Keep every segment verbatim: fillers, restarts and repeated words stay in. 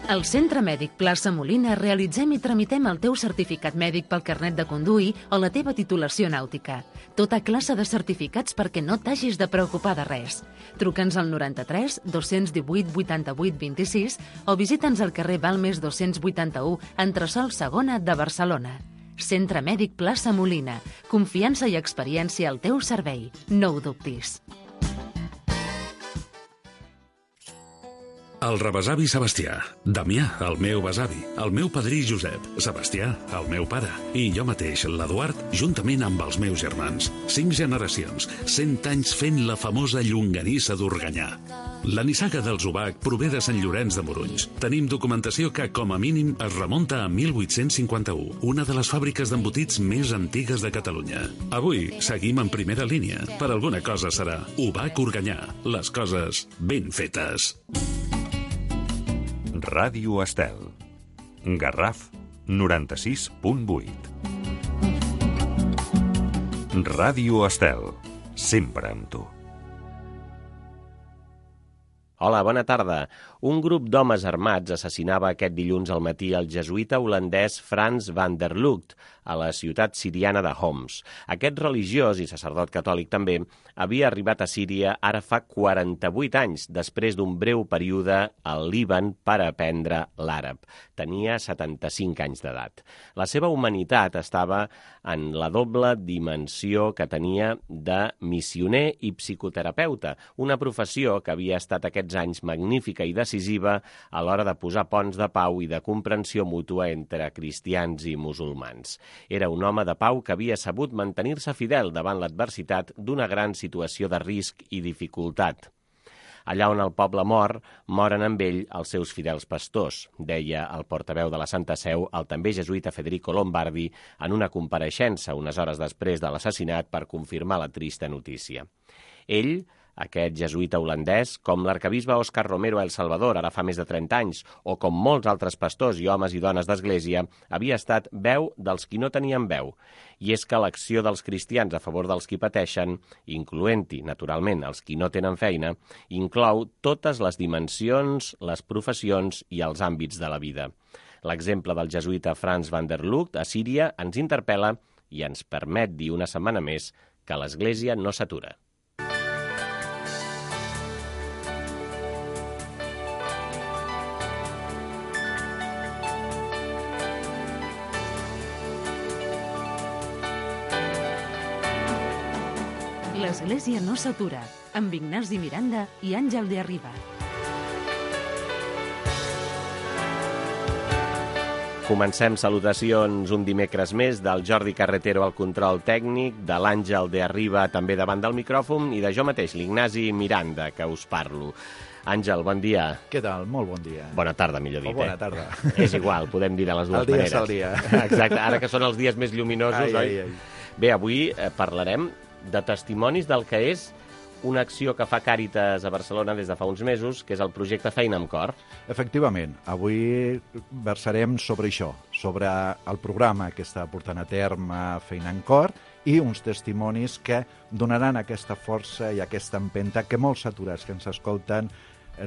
Al Centre Mèdic Plaça Molina realitzem i tramitem el teu certificat mèdic pel carnet de conduir o la teva titulació nàutica. Tota classe de certificats perquè no t'hagis de preocupar de res. Truca'ns al noranta-tres dos-cents divuit vuitanta-vuit vint-i-sis o visita'ns al carrer Balmes dos-cents vuitanta-u, entresòl segona de Barcelona. Centre Mèdic Plaça Molina. Confiança i experiència al teu servei. No ho dubtis. El rebesavi Sebastià, Damià, el meu besavi, el meu padrí Josep, Sebastià, el meu pare, i jo mateix, l'Eduard, juntament amb els meus germans. Cinc generacions, cent anys fent la famosa llonganissa d'Organyà. La nissaga dels Ubac prové de Sant Llorenç de Morunys. Tenim documentació que, com a mínim, es remunta a mil vuit-cents cinquanta-u, una de les fàbriques d'embotits més antigues de Catalunya. Avui seguim en primera línia. Per alguna cosa serà Ubac Organyà. Les coses ben fetes. Ràdio Estel. Garraf noranta-sis punt vuit. Ràdio Estel. Sempre amb tu. Hola, bona tarda. Un grup d'homes armats assassinava aquest dilluns al matí el jesuïta holandès Frans van der Lugt a la ciutat siriana de Homs. Aquest religiós i sacerdot catòlic també havia arribat a Síria ara fa quaranta-vuit anys, després d'un breu període al Líban per aprendre l'àrab. Tenia setanta-cinc anys d'edat. La seva humanitat estava en la doble dimensió que tenia de missioner i psicoterapeuta, una professió que havia estat aquests anys magnífica i decisiva a l'hora de posar ponts de pau i de comprensió mútua entre cristians i musulmans. Era un home de pau que havia sabut mantenir-se fidel davant l'adversitat d'una gran situació de risc i dificultat. Allà on el poble mor, moren amb ell els seus fidels pastors, deia el portaveu de la Santa Seu, el també jesuïta Federico Lombardi, en una compareixença unes hores després de l'assassinat per confirmar la trista notícia. Ell, aquest jesuïta holandès, com l'arcabisbe Òscar Romero a El Salvador ara fa més de trenta anys, o com molts altres pastors i homes i dones d'església, havia estat veu dels qui no tenien veu. I és que l'acció dels cristians a favor dels qui pateixen, incloent-hi, naturalment, els qui no tenen feina, inclou totes les dimensions, les professions i els àmbits de la vida. L'exemple del jesuïta Frans van der Lugt a Síria ens interpel·la i ens permet dir una setmana més que l'Església no s'atura. L'Església no s'atura, amb Ignasi Miranda i Àngel de Arriba. Comencem salutacions un dimecres més del Jordi Carretero al control tècnic, de l'Àngel de Arriba també davant del micròfon i de jo mateix, l'Ignasi Miranda, que us parlo. Àngel, bon dia. Què tal? Molt bon dia. Bona tarda, millor dit. O bona tarda. Eh? És igual, podem dir de les dues maneres. El dia és el dia. Exacte, ara que són els dies més lluminosos, ai, oi? ai, ai. Bé, avui eh, parlarem de testimonis del que és una acció que fa Càritas a Barcelona des de fa uns mesos, que és el projecte Feina amb Cor. Efectivament, avui versarem sobre això, sobre el programa que està portant a terme Feina amb Cor i uns testimonis que donaran aquesta força i aquesta empenta que molts aturats que ens escolten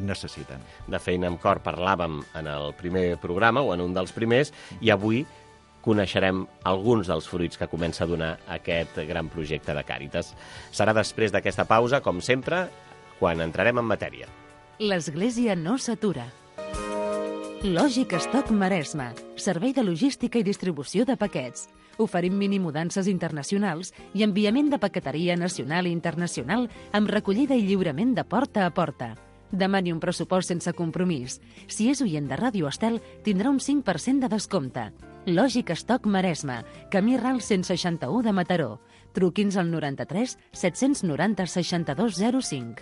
necessiten. De Feina amb Cor parlàvem en el primer programa o en un dels primers i avui coneixerem alguns dels fruits que comença a donar aquest gran projecte de Càritas. Serà després d'aquesta pausa, com sempre, quan entrarem en matèria. L'Església no s'atura. Lògic Stock Maresme, servei de logística i distribució de paquets. Oferim minimudances internacionals i enviament de paqueteria nacional i internacional amb recollida i lliurament de porta a porta. Demani un pressupost sense compromís. Si és oient de Ràdio Estel, tindrà un cinc per cent de descompte. Lògic Stock Maresme, camí Ral cent seixanta-u de Mataró. Truqui'ns al noranta-tres set-cents noranta seixanta-dos zero cinc.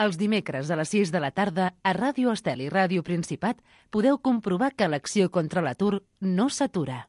Els dimecres a les sis de la tarda, a Ràdio Estel i Ràdio Principat, podeu comprovar que l'acció contra l'atur no s'atura.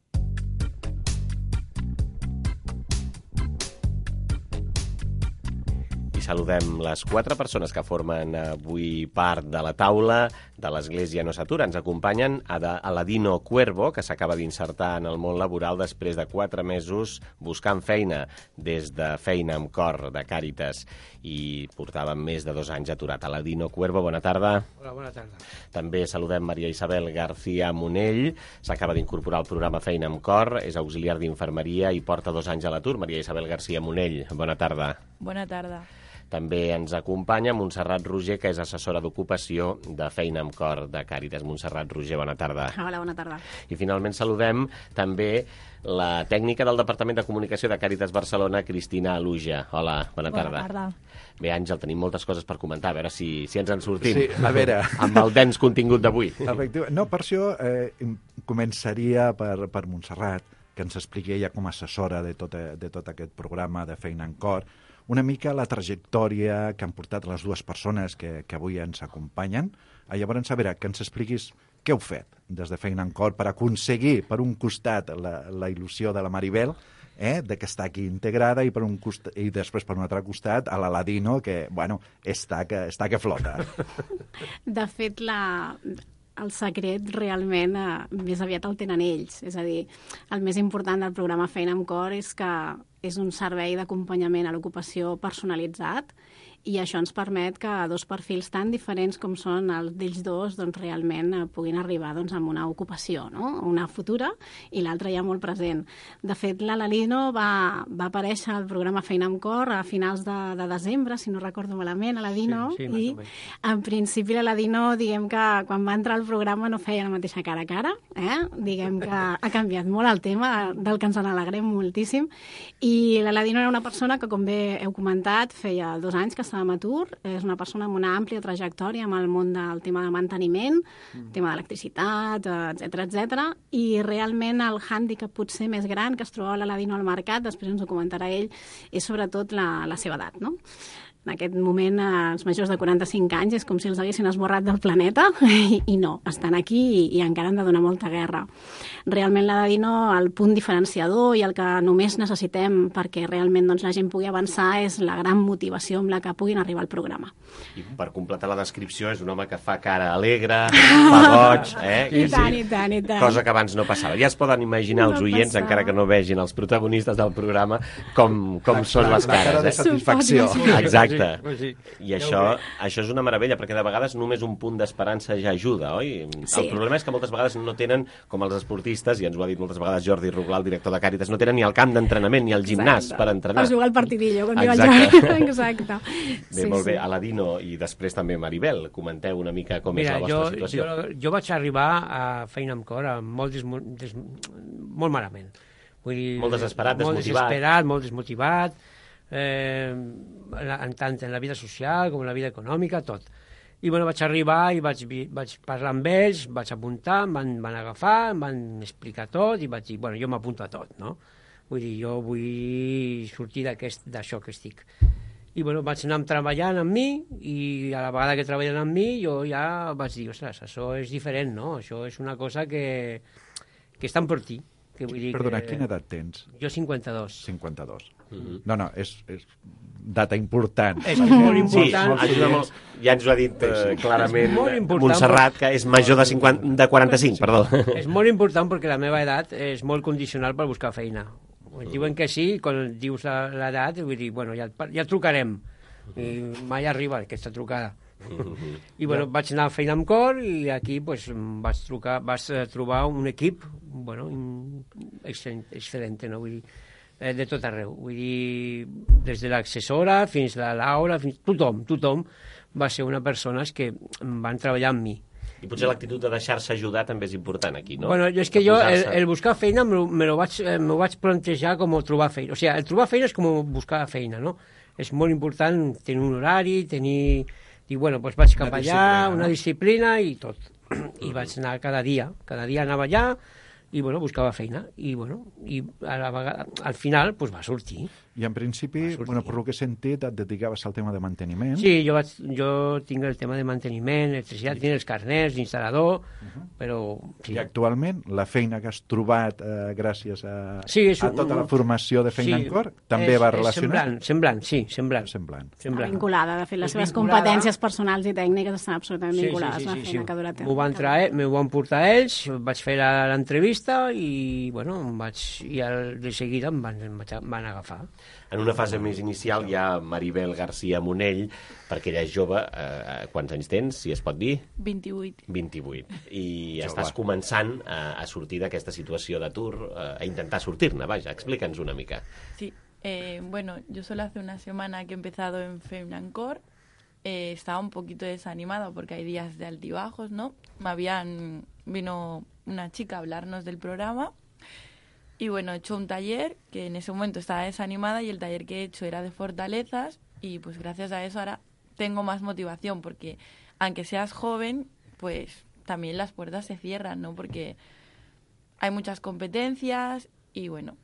I saludem les quatre persones que formen avui part de la taula de l'Església No s'atura. Ens acompanyen Aladino Cuervo, que s'acaba d'insertar en el món laboral després de quatre mesos buscant feina des de Feina amb Cor de Càritas i portava més de dos anys aturat. Aladino Cuervo, bona tarda. Hola, bona tarda. També saludem Maria Isabel García Monell, s'acaba d'incorporar al programa Feina amb Cor, és auxiliar d'infermeria i porta dos anys a l'atur. Maria Isabel García Monell, bona tarda. Bona tarda. També ens acompanya Montserrat Roger, que és assessora d'ocupació de Feina amb Cor de Càritas. Montserrat Roger, bona tarda. Hola, bona tarda. I finalment saludem també la tècnica del Departament de Comunicació de Càritas Barcelona, Cristina Aluja. Hola, bona tarda. Bona tarda. Bé, Àngel, tenim moltes coses per comentar, a veure si, si ens en sortim. Sí, a veure. Amb el dens contingut d'avui. Efectivament. No, per això eh, començaria per, per Montserrat, que ens expliqui ella com a assessora de tot, de tot aquest programa de Feina amb Cor, una mica la trajectòria que han portat les dues persones que, que avui ens acompanyen. Llavors, a veure, que ens expliquis què heu fet des de Feina amb Cor per aconseguir, per un costat, la, la il·lusió de la Maribel, eh, de que està aquí integrada, i per un costat, i després per un altre costat a l'Aladino, que, bueno, està que, està que flota. De fet, la... el secret realment eh, més aviat el tenen ells. És a dir, el més important del programa Feina amb Cor és que és un servei d'acompanyament a l'ocupació personalitzat, i això ens permet que dos perfils tan diferents com són els d'ells dos doncs, realment eh, puguin arribar doncs, a una ocupació, no? Una futura i l'altra ja molt present. De fet, l'Aladino va, va aparèixer al programa Feina amb Cor a finals de, de desembre, si no recordo malament, Aladino, sí, sí, i en principi l'Aladino, diguem que quan va entrar al programa no feia la mateixa cara a cara, eh? Diguem que ha canviat molt el tema, del que ens n'alegrem moltíssim, i l'Aladino era una persona que, com bé heu comentat, feia dos anys que estava en atur, és una persona amb una àmplia trajectòria amb el món del tema de manteniment, mm. tema d'electricitat, etcètera, etcètera, i realment el hàndicap potser més gran que es trobava l'Aladino al mercat, després ens ho comentarà ell, és sobretot la, la seva edat, no? En aquest moment, els majors de quaranta-cinc anys és com si els haguessin esborrat del planeta, i, i no, estan aquí i, i encara han de donar molta guerra. Realment l'Aladino, el punt diferenciador i el que només necessitem perquè realment doncs, la gent pugui avançar és la gran motivació amb la que puguin arribar al programa. I per completar la descripció, és un home que fa cara alegre, fa goig, eh? I tant, i tant, i tant. Cosa que abans no passava. Ja es poden imaginar els No oients, passava. encara que no vegin els protagonistes del programa, com, com són les La cara cares. de Eh? satisfacció. Exacte. Pues sí. I això, això és una meravella, perquè de vegades només un punt d'esperança ja ajuda, oi? Sí. El problema és que moltes vegades no tenen, com els esportistes, i ens ho ha dit moltes vegades Jordi Ruglà, el director de Càritas, no tenen ni el camp d'entrenament ni el gimnàs Exacte. per entrenar. Per jugar al partidillo, com diu el Exacte. Jordi. Exacte. Bé, molt bé. Aladino i després també Maribel, comenteu una mica com Mira, és la jo, vostra situació. jo, jo vaig arribar a Feina amb Cor amb molt, desmo, des, molt malament. Vull dir, Molt desesperat, molt desmotivat. desesperat, molt desmotivat, eh, en tant en la vida social com en la vida econòmica, tot. I bueno, vaig arribar i vaig, vi- vaig parlar amb ells, vaig apuntar, em van, van agafar, em van explicar tot i vaig dir, bueno, jo m'apunto a tot, no? Vull dir, jo vull sortir d'aquest- d'això que estic. I bueno, vaig anar treballant amb mi i a la vegada que treballen amb mi jo ja vaig dir, ostres, això és diferent, no? Això és una cosa que, que estan per ti. Que vull dir Perdona, que... quina edat tens? Jo cinquanta-dos. cinquanta-dos. Mhm. No, no, és, és data important. És molt Sí, important. ajuda molt. Ja ens ho ha dit eh, clarament molt important, Montserrat, que és major de, cinquanta, de quaranta-cinc, perdó. És molt important perquè la meva edat és molt condicional per buscar feina. Quan diuen que sí, quan dius la- l'edat, vull dir, bueno, ja, et par- ja et trucarem. I mai arriba aquesta trucada. I bueno, vaig anar a Feina amb Cor i aquí pues, vaig, trucar, vaig eh, trobar un equip bueno, in- excel·lent, excel·lent, no? Vull dir, eh, de tot arreu. Vull dir, des de l'assessora fins a la Laura, fins tothom, tothom va ser una persones que van treballar amb mi. I potser l'actitud de deixar-se ajudar també és important aquí, no? Bueno, jo és que De jo, el, posar-se- el buscar feina me lo, me lo, vaig, eh, me lo vaig plantejar com trobar feina. O sigui, el trobar feina és com buscar feina, no? És molt important tenir un horari, tenir... I bueno, doncs vaig cap Una allà, disciplina, no? una disciplina i tot. I vaig anar cada dia, cada dia anava allà i bueno, buscava feina. I bueno, i a la vegada, al final doncs va sortir. I en principi, bueno, per lo que he sentit, et dedicaves al tema de manteniment. Sí, jo, vaig, jo tinc el tema de manteniment, electricitat, tinc els carnets d'instal·lador, uh -huh. però... Sí. I actualment, la feina que has trobat eh, gràcies a, sí, és, a tota la formació de feina sí, en cor, també és, va és relacionat? Semblant, semblant, sí, semblant. Semblant. semblant. Vinculada, de fet, les És seves vinculada. competències personals i tècniques estan absolutament Sí, vinculades sí, sí, a la sí, feina sí. que dura a terme. M'ho van, traer, m'ho van portar ells, vaig fer la- l'entrevista i, bueno, em vaig, i al, de seguida em van, em vaig- em van agafar. En una fase més inicial hi ha Maribel García Monell, perquè ella és jove. Eh, quants anys tens, si es pot dir? vint-i-vuit. vint-i-vuit. I Jove. estàs començant a, a sortir d'aquesta situació d'atur, eh, a intentar sortir-ne, vaja, explica'ns una mica. Sí, eh, bueno, yo solo hace una semana que he empezado en Femnancor, eh, estaba un poquito desanimada porque hay días de altibajos, ¿no? Me habían, vino una chica a hablarnos del programa y bueno, he hecho un taller que en ese momento estaba desanimada y el taller que he hecho era de fortalezas y pues gracias a eso ahora tengo más motivación porque aunque seas joven, pues también las puertas se cierran, ¿no? Porque hay muchas competencias y bueno,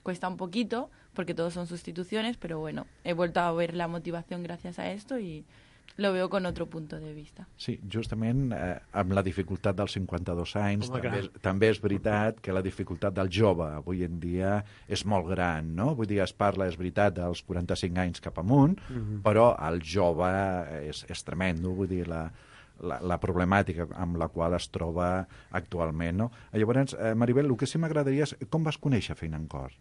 cuesta un poquito porque todos son sustituciones, pero bueno, he vuelto a ver la motivación gracias a esto y lo veo con otro punto de vista. Sí, justament eh, amb la dificultat dels cinquanta-dos anys, Home, també, clar. és- també és veritat que la dificultat del jove avui en dia és molt gran, no? Vull dir, es parla, és veritat, dels quaranta-cinc anys cap amunt, Mhm. però el jove és, és tremendo, vull dir, la, la, la problemàtica amb la qual es troba actualment, no? Llavors, eh, Maribel, el que sí m'agradaria és com vas conèixer Feina en Cor?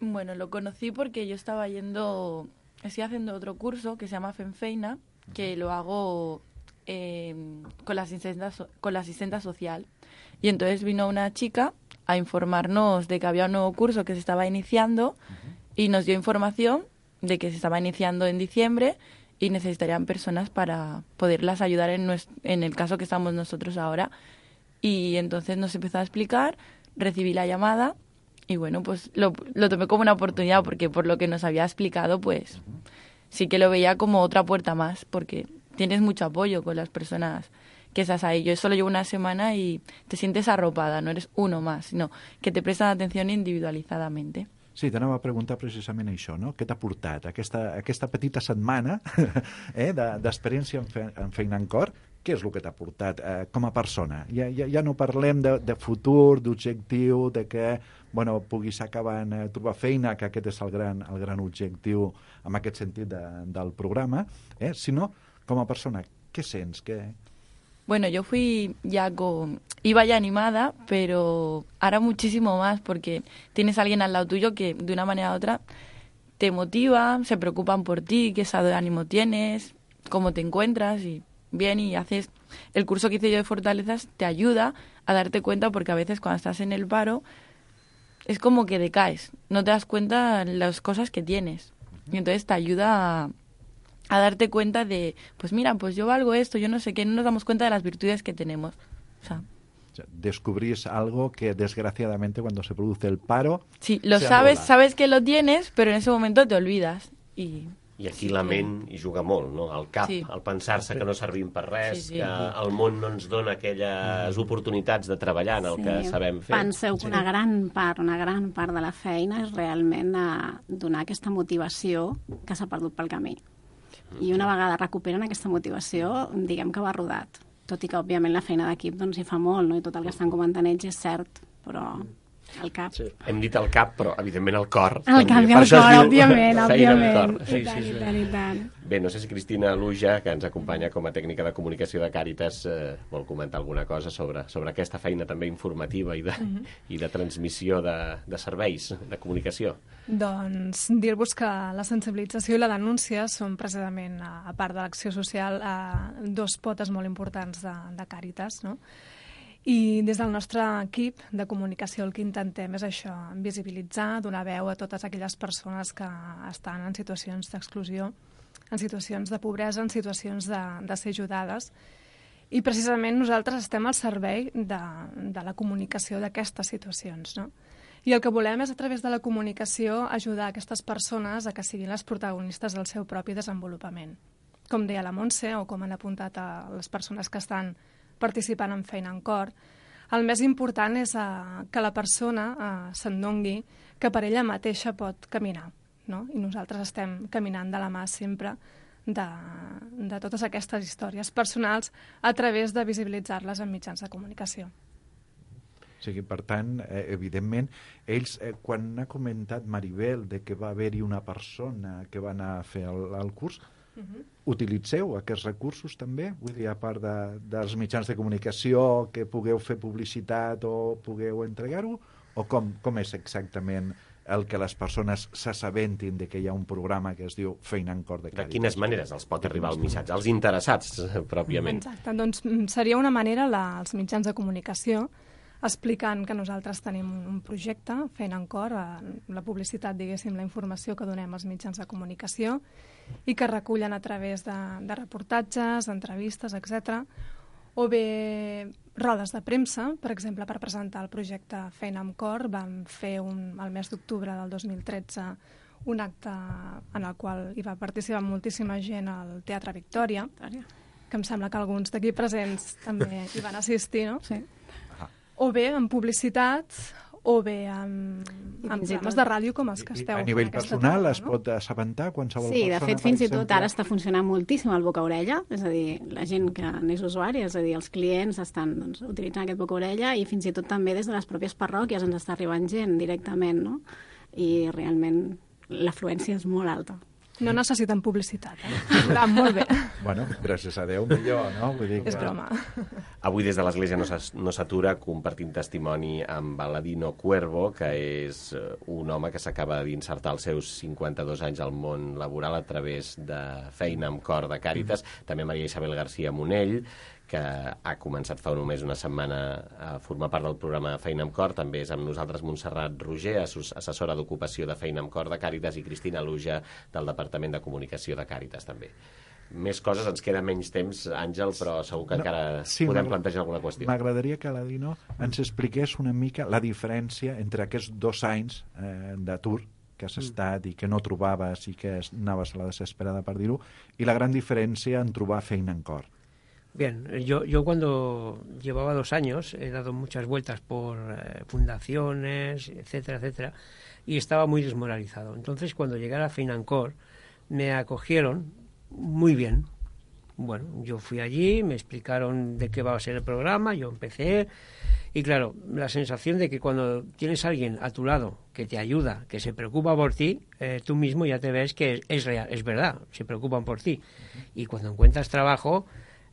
Bueno, lo conocí porque yo estaba yendo, estoy haciendo otro curso que se llama Fenfeina, que lo hago eh, con, la asistenta, so- con la asistenta social. Y entonces vino una chica a informarnos de que había un nuevo curso que se estaba iniciando y nos dio información de que se estaba iniciando en diciembre y necesitarían personas para poderlas ayudar en, nues- en el caso que estamos nosotros ahora. Y entonces nos empezó a explicar, recibí la llamada y bueno, pues lo, lo tomé como una oportunidad porque por lo que nos había explicado, pues sí que lo veía como otra puerta más porque tienes mucho apoyo con las personas que estás ahí. Yo solo llevo una semana y te sientes arropada, no eres uno más, sino que te prestan atención individualizadamente. Sí, t'anava a preguntar precisament això, no? Què t'ha portat aquesta, aquesta petita setmana eh, de- d'experiència en, fe, en feina en cor? Què és el que t'ha portat eh, com a persona? Ja, ja, ja no parlem de, de futur, d'objectiu, de que bueno, puguis acabar de trobar feina, que aquest és el gran, el gran objectiu en aquest sentit de, del programa, eh? sinó com a persona, què sents? Què... Bueno, yo fui ya con... Iba ya animada, pero ahora muchísimo más porque tienes a alguien al lado tuyo que de una manera u otra te motiva, se preocupan por ti, qué estado de ánimo tienes, cómo te encuentras y bien, y haces... El curso que hice yo de Fortalezas te ayuda a darte cuenta porque a veces cuando estás en el paro es como que decaes, no te das cuenta las cosas que tienes y entonces te ayuda a... a darte cuenta de, pues mira, pues yo valgo esto, yo no sé qué, no nos damos cuenta de las virtudes que tenemos. O sea, O sea, descubrís algo que desgraciadamente cuando se produce el paro... sí, lo se sabes, anula. sabes que lo tienes, pero en ese momento te olvidas. Y I aquí sí la que- ment hi juga molt, no? El cap, Sí. el pensar-se que no servim per res, Sí, sí. que el món no ens dona aquelles oportunitats de treballar en el que sabem fer. Penseu que una gran part, una gran part de la feina és realment a donar aquesta motivació que s'ha perdut pel camí. I una vegada recuperen aquesta motivació, diguem que va rodat. Tot i que, òbviament, la feina d'equip doncs, hi fa molt, no? I tot el que estan comentant ells és cert, però el cap... Sí. Hem dit el cap, però evidentment el cor. El també. cap i Per el això es cor, diu òbviament, feina amb òbviament. cor. Sí, I tant, sí, sí. i tant, i tant. Bé, no sé si Cristina Luja, que ens acompanya com a tècnica de comunicació de Càritas, eh, vol comentar alguna cosa sobre, sobre aquesta feina també informativa i de, Mhm. i de transmissió de, de serveis de comunicació. Doncs dir-vos que la sensibilització i la denúncia són precisament, a a part de l'acció social, eh, dos potes molt importants de, de Càritas, no? I des del nostre equip de comunicació el que intentem és això, visibilitzar, donar veu a totes aquelles persones que estan en situacions d'exclusió, en situacions de pobresa, en situacions de, de ser ajudades. I precisament nosaltres estem al servei de, de la comunicació d'aquestes situacions, no? I el que volem és, a través de la comunicació, ajudar aquestes persones a que siguin les protagonistes del seu propi desenvolupament. Com deia la Montse, o com han apuntat a les persones que estan participant en Feina en Cor, El més important és uh, que la persona uh, s'endongui que per ella mateixa pot caminar, no? I nosaltres estem caminant de la mà sempre de, de totes aquestes històries personals a través de visibilitzar-les en mitjans de comunicació. O sigui, per tant, eh, evidentment, ells, eh, quan ha comentat Maribel de que va haver-hi una persona que va anar a fer el, el curs, uh-huh. utilitzeu aquests recursos també? Vull dir, a part de, dels mitjans de comunicació, que pugueu fer publicitat o pugueu entregar-ho? O com, com és exactament el que les persones s'assabentin de que hi ha un programa que es diu Feina en Cor de Càritas? De quines maneres els pot arribar el missatge? Els interessats, pròpiament. Exacte, doncs seria una manera la, els mitjans de comunicació explicant que nosaltres tenim un projecte, Feina en Cor, la publicitat, diguéssim, la informació que donem als mitjans de comunicació i que recullen a través de, de reportatges, d'entrevistes, etcètera, o bé rodes de premsa, per exemple, per presentar el projecte Feina amb Cor. Vam fer un, el mes d'octubre del dos mil tretze un acte en el qual hi va participar moltíssima gent al Teatre Victòria, que em sembla que alguns d'aquí presents també hi van assistir, no? Sí. O bé en publicitat, o bé en, en programes de ràdio com els que esteu. A nivell personal es pot assabentar qualsevol sí, persona? Sí, de fet, fins i tot ara està funcionant moltíssim el boca-orella, és a dir, la gent que n'és usuari, és a dir, els clients estan doncs, utilitzant aquest boca-orella i fins i tot també des de les pròpies parròquies ens està arribant gent directament, no? I realment l'afluència és molt alta. No necessiten publicitat, eh? Va molt bé. Bueno, gràcies a Déu, millor, no? Vull dir que... És broma. Avui des de l'Església no s'atura compartint testimoni amb Aladino Cuervo, que és un home que s'acaba d'insertar als seus cinquanta-dos anys al món laboral a través de Feina amb Cor de Càritas. Mm. També Maria Isabel García Monell, que ha començat fa només una setmana a formar part del programa Feina amb Cor. També és amb nosaltres Montserrat Roger, assessora d'ocupació de Feina amb Cor de Càritas, i Cristina Luja, del Departament de Comunicació de Càritas, també. Més coses, ens queda menys temps, Àngel, però segur que no, encara sí, podem plantejar alguna qüestió. M'agradaria que Aladino ens expliqués una mica la diferència entre aquests dos anys eh, d'atur que has estat i que no trobaves i que anaves a la desesperada, per dir-ho, i la gran diferència en trobar Feina en Cor. Bien, yo, yo cuando llevaba dos años he dado muchas vueltas por eh, fundaciones, etcétera, etcétera, y estaba muy desmoralizado. Entonces, cuando llegué a la Feina en Cor, me acogieron muy bien. Bueno, yo fui allí, me explicaron de qué va a ser el programa, yo empecé, y claro, la sensación de que cuando tienes a alguien a tu lado que te ayuda, que se preocupa por ti, eh, tú mismo ya te ves que es, es real, es verdad, se preocupan por ti. Y cuando encuentras trabajo,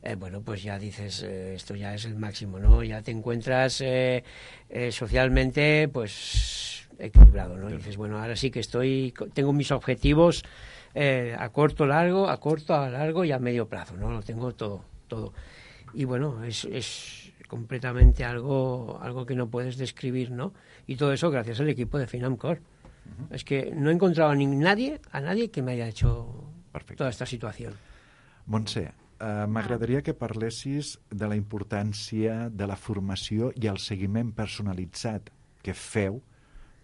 Eh, bueno, pues ya dices, eh, esto ya es el máximo, ¿no? Ya te encuentras eh, eh, socialmente, pues, equilibrado, ¿no? Y dices, bueno, ahora sí que estoy, tengo mis objetivos eh, a corto, largo, a corto, a largo y a medio plazo, ¿no? Lo tengo todo, todo. Y bueno, es, es completamente algo, algo que no puedes describir, ¿no? Y todo eso gracias al equipo de Feina amb Cor. Uh-huh. Es que no he encontrado a ni nadie, a nadie que me haya hecho Perfecte. Toda esta situación. Montse, Uh, m'agradaria que parlessis de la importància de la formació i el seguiment personalitzat que feu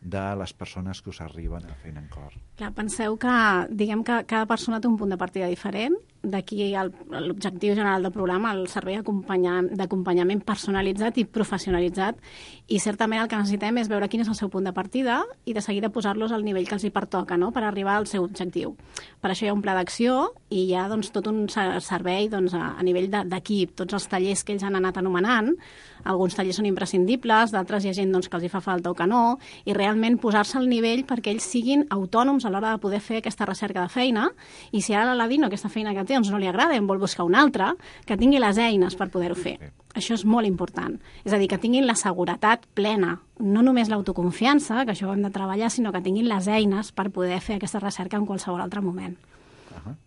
de les persones que us arriben a Feina en Cor. Clar, penseu que, diguem que cada persona té un punt de partida diferent, d'aquí l'objectiu general del programa, el servei d'acompanyament personalitzat i professionalitzat, i certament el que necessitem és veure quin és el seu punt de partida i de seguida posar-los al nivell que els hi pertoca, no?, per arribar al seu objectiu. Per això hi ha un pla d'acció i hi ha doncs, tot un servei doncs, a, a nivell d'equip, tots els tallers que ells han anat anomenant. Alguns tallers són imprescindibles, d'altres hi ha gent doncs, que els hi fa falta o que no, i realment posar-se al nivell perquè ells siguin autònoms a l'hora de poder fer aquesta recerca de feina, i si ara l'Aladino aquesta feina que té doncs no li agrada i en vol buscar una altra, que tingui les eines per poder-ho fer. Això és molt important. És a dir, que tinguin la seguretat plena, no només l'autoconfiança, que això ho hem de treballar, sinó que tinguin les eines per poder fer aquesta recerca en qualsevol altre moment. Uh-huh.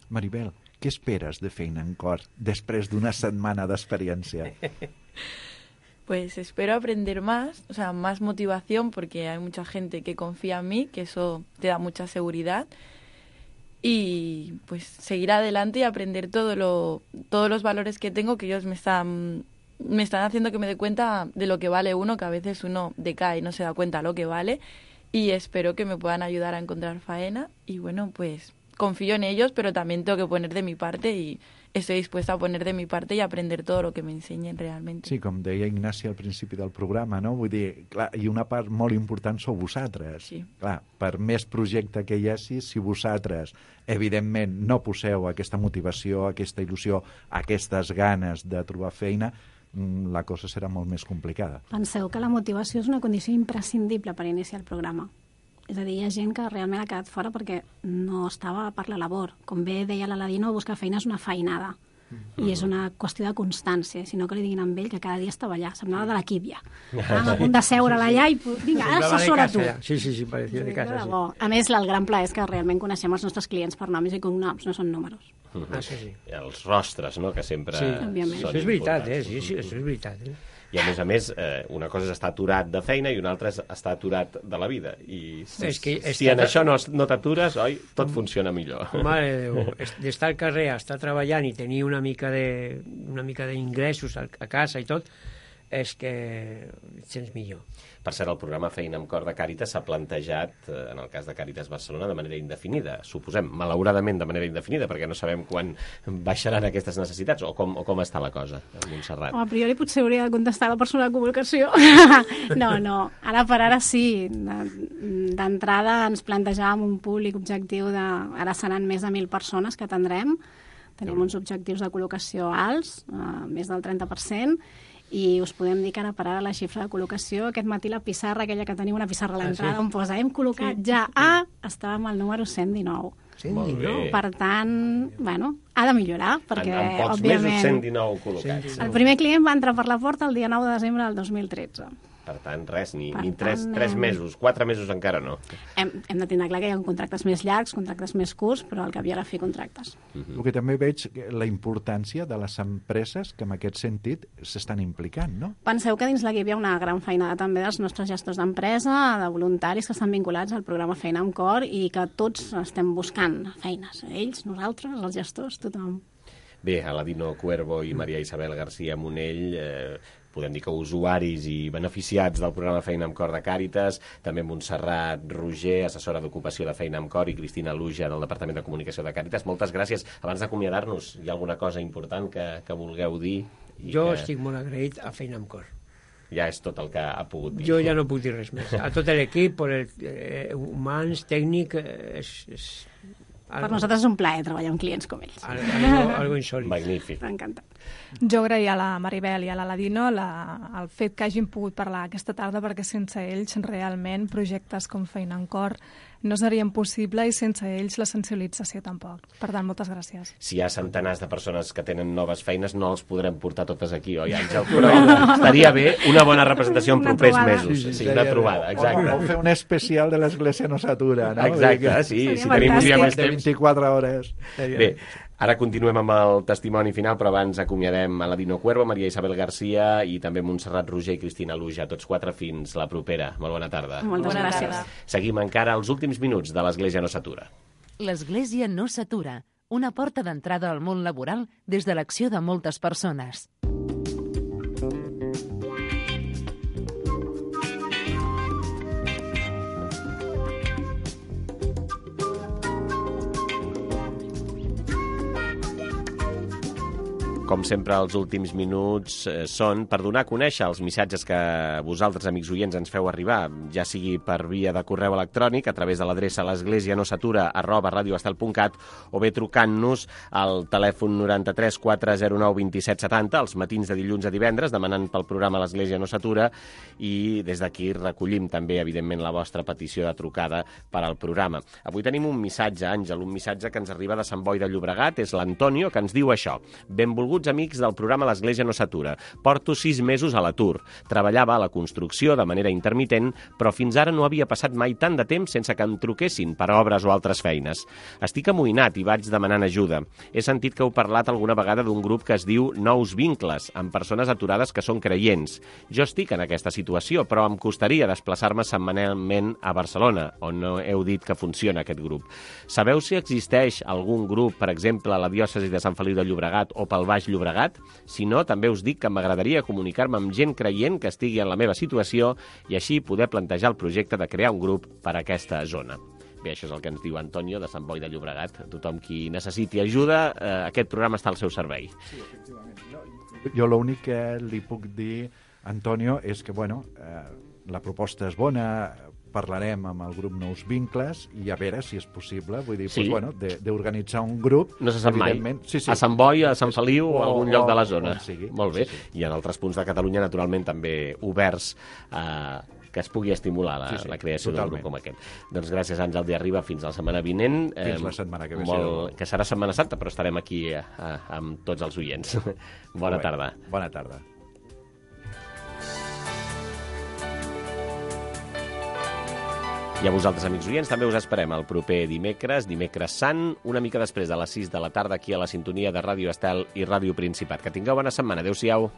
Maribel, què esperes de Feina en Cor després d'una setmana d'experiència? Pues espero aprender más, o sea, más motivación, porque hay mucha gente que confía en mí, que eso te da mucha seguridad. Y pues seguir adelante y aprender todo lo, todos los valores que tengo, que ellos me están, me están haciendo que me dé cuenta de lo que vale uno, que a veces uno decae y no se da cuenta lo que vale, y espero que me puedan ayudar a encontrar faena y bueno, pues confío en ellos, pero también tengo que poner de mi parte y estoy dispuesta a poner de mi parte y aprender todo lo que me enseñen realmente. Sí, com deia Ignasi al principi del programa, no? Vull dir, clar, i una part molt important sou vosaltres. Sí. Clar, per més projecte que hi hagi, si vosaltres, evidentment, no poseu aquesta motivació, aquesta il·lusió, aquestes ganes de trobar feina, la cosa serà molt més complicada. Penseu que la motivació és una condició imprescindible per iniciar el programa. És a dir, hi ha gent que realment ha quedat fora perquè no estava per la labor. Com bé deia l'Aladino, buscar feina és una feinada. I és una qüestió de constància, sinó que li diguin amb ell que cada dia estava allà, semblava de l'equip ja. Estàvem a punt de seure allà i vinga, ara assessora tu. Sí, sí, sí, parecia de casa, sí. A més, el gran plaer és que realment coneixem els nostres clients per noms i cognoms, no són números. Ah, sí, sí. Els rostres, no?, que sempre sí, són això és veritat, eh? Sí, sí, importants. això és veritat, eh? I a més a més, eh, una cosa és estar aturat de feina i una altra és estar aturat de la vida. I si, És que si en això no, no t'atures, oi, tot funciona millor. Mare de Déu, d'estar al carrer, estar treballant i tenir una mica de, una mica d'ingressos a casa i tot, és que et sents millor. Per cert, el programa Feina amb Cor de Càritas s'ha plantejat, en el cas de Càritas Barcelona, de manera indefinida. Suposem, malauradament, de manera indefinida, perquè no sabem quan baixaran aquestes necessitats o com, o com està la cosa, a Montserrat. A priori potser hauria de contestar la persona de comunicació. No, no, ara per ara sí. D'entrada ens plantejàvem un públic objectiu de... Ara seran més de mil persones que atendrem. Tenim uns objectius de col·locació alts, eh, més del trenta per cent, i us podem dir que ara per ara la xifra de col·locació, aquest matí la pissarra, aquella que teniu una pissarra a l'entrada, ah, sí? On posa, hem col·locat sí, ja a... Estàvem al número cent dinou. cent dinou? Per tant, bueno, ha de millorar, perquè, en, en pocs òbviament... mesos cent dinou col·locats. El primer client va entrar per la porta el dia nou de desembre del dos mil tretze. Per tant, res, ni, Per ni tres, tant, tres hem- mesos, quatre mesos encara no. Hem, hem de tindre clar que hi ha contractes més llargs, contractes més curts, però al cap i a la fi contractes. El que també veig que la importància de les empreses que en aquest sentit s'estan implicant, no? Penseu que dins l'equip hi ha una gran feinada també dels nostres gestors d'empresa, de voluntaris que estan vinculats al programa Feina amb Cor i que tots estem buscant feines. Ells, nosaltres, els gestors, tothom. Bé, Aladino Cuervo i Maria Isabel García Monell, eh, podem dir que usuaris i beneficiats del programa Feina amb Cor de Càritas, també Montserrat Roger, assessora d'ocupació de Feina amb Cor, i Cristina Luja, del Departament de Comunicació de Càritas. Moltes gràcies. Abans d'acomiadar-nos, hi ha alguna cosa important que, que vulgueu dir? I Jo que estic molt agraït a Feina amb Cor. Ja és tot el que ha pogut dir. Jo ja no puc dir res més. A tot l'equip, per el, eh, humans, tècnic, eh, és... és Per nosaltres és un plaer treballar amb clients com ells. Algo, algo insòlit. Magnífic. M'ha encantat. Jo agrair a la Maribel i a l'Aladino la, el fet que hagin pogut parlar aquesta tarda, perquè sense ells realment projectes com Feina en Cor no serien possible i sense ells la sensibilització tampoc. Per tant, moltes gràcies. Si hi ha centenars de persones que tenen noves feines, no els podrem portar totes aquí, oi, Àngel? Però estaria bé una bona representació en Una propers trobada. mesos. Sí, sí, Sí, sí, una sí. trobada, exacte. O, o fer un especial de l'Església no s'atura, no? Exacte, sí, Seria si tenim un dia fantàstic. més De temps. vint-i-quatre hores. Bé, ara continuem amb el testimoni final, però abans acomiadem a Aladino Cuervo, Maria Isabel García i també Montserrat Roger i Cristina Luja, tots quatre fins la propera. Molt bona tarda. Moltes Bona gràcies. tarda. Seguim encara els últims minuts de l'Església no s'atura. L'Església no s'atura. Una porta d'entrada al món laboral des de l'acció de moltes persones. Com sempre, els últims minuts eh, són per donar a conèixer els missatges que vosaltres, amics oients, ens feu arribar, ja sigui per via de correu electrònic, a través de l'adreça l'esglésianosatura arroba radioestel punt cat, o bé trucant-nos al telèfon noranta-tres quatre zero nou dos set set zero, els matins de dilluns a divendres, demanant pel programa L'Església no s'atura, i des d'aquí recollim també, evidentment, la vostra petició de trucada per al programa. Avui tenim un missatge, Àngel, un missatge que ens arriba de Sant Boi de Llobregat, és l'Antonio, que ens diu això. Benvolguts amics del programa L'Església no s'atura. Porto sis mesos a l'atur. Treballava a la construcció de manera intermitent, però fins ara no havia passat mai tant de temps sense que em truquessin per obres o altres feines. Estic amoïnat i vaig demanant ajuda. He sentit que heu parlat alguna vegada d'un grup que es diu Nous Vincles, amb persones aturades que són creients. Jo estic en aquesta situació, però em costaria desplaçar-me setmanalment a Barcelona, on no heu dit que funciona aquest grup. Sabeu si existeix algun grup, per exemple, a la diòcesi de Sant Feliu de Llobregat o pel Baix Llobregat? Si no, també us dic que m'agradaria comunicar-me amb gent creient que estigui en la meva situació i així poder plantejar el projecte de crear un grup per a aquesta zona. Bé, això és el que ens diu Antonio, de Sant Boi de Llobregat. Tothom qui necessiti ajuda, eh, aquest programa està al seu servei. Sí, efectivament. Jo, jo l'únic que li puc dir, Antonio, és que, bueno, eh, la proposta és bona, parlarem amb el grup Nous Vincles i a veure si és possible, vull dir, Sí. pues, bueno, d'organitzar un grup. No se sap mai. evidentment- Sí, sí. A Sant Boi, a Sant Feliu o a O- algun lloc de la o- zona. on sigui. Molt bé. Sí, I en altres punts de Catalunya, naturalment, també oberts a que es pugui estimular la, Sí, sí, la creació d'un grup totalment. com aquest. Doncs gràcies, Àngel de Arriba. Fins la setmana vinent. Fins la setmana que ve, Molt, sí. que serà Setmana Santa, però estarem aquí a, a, amb tots els oients. Bona Molt bé. tarda. Bona tarda. I a vosaltres, amics oients, també us esperem el proper dimecres, dimecres sant, una mica després de les sis de la tarda, aquí a la sintonia de Ràdio Estel i Ràdio Principat. Que tingueu bona setmana. Adéu-siau.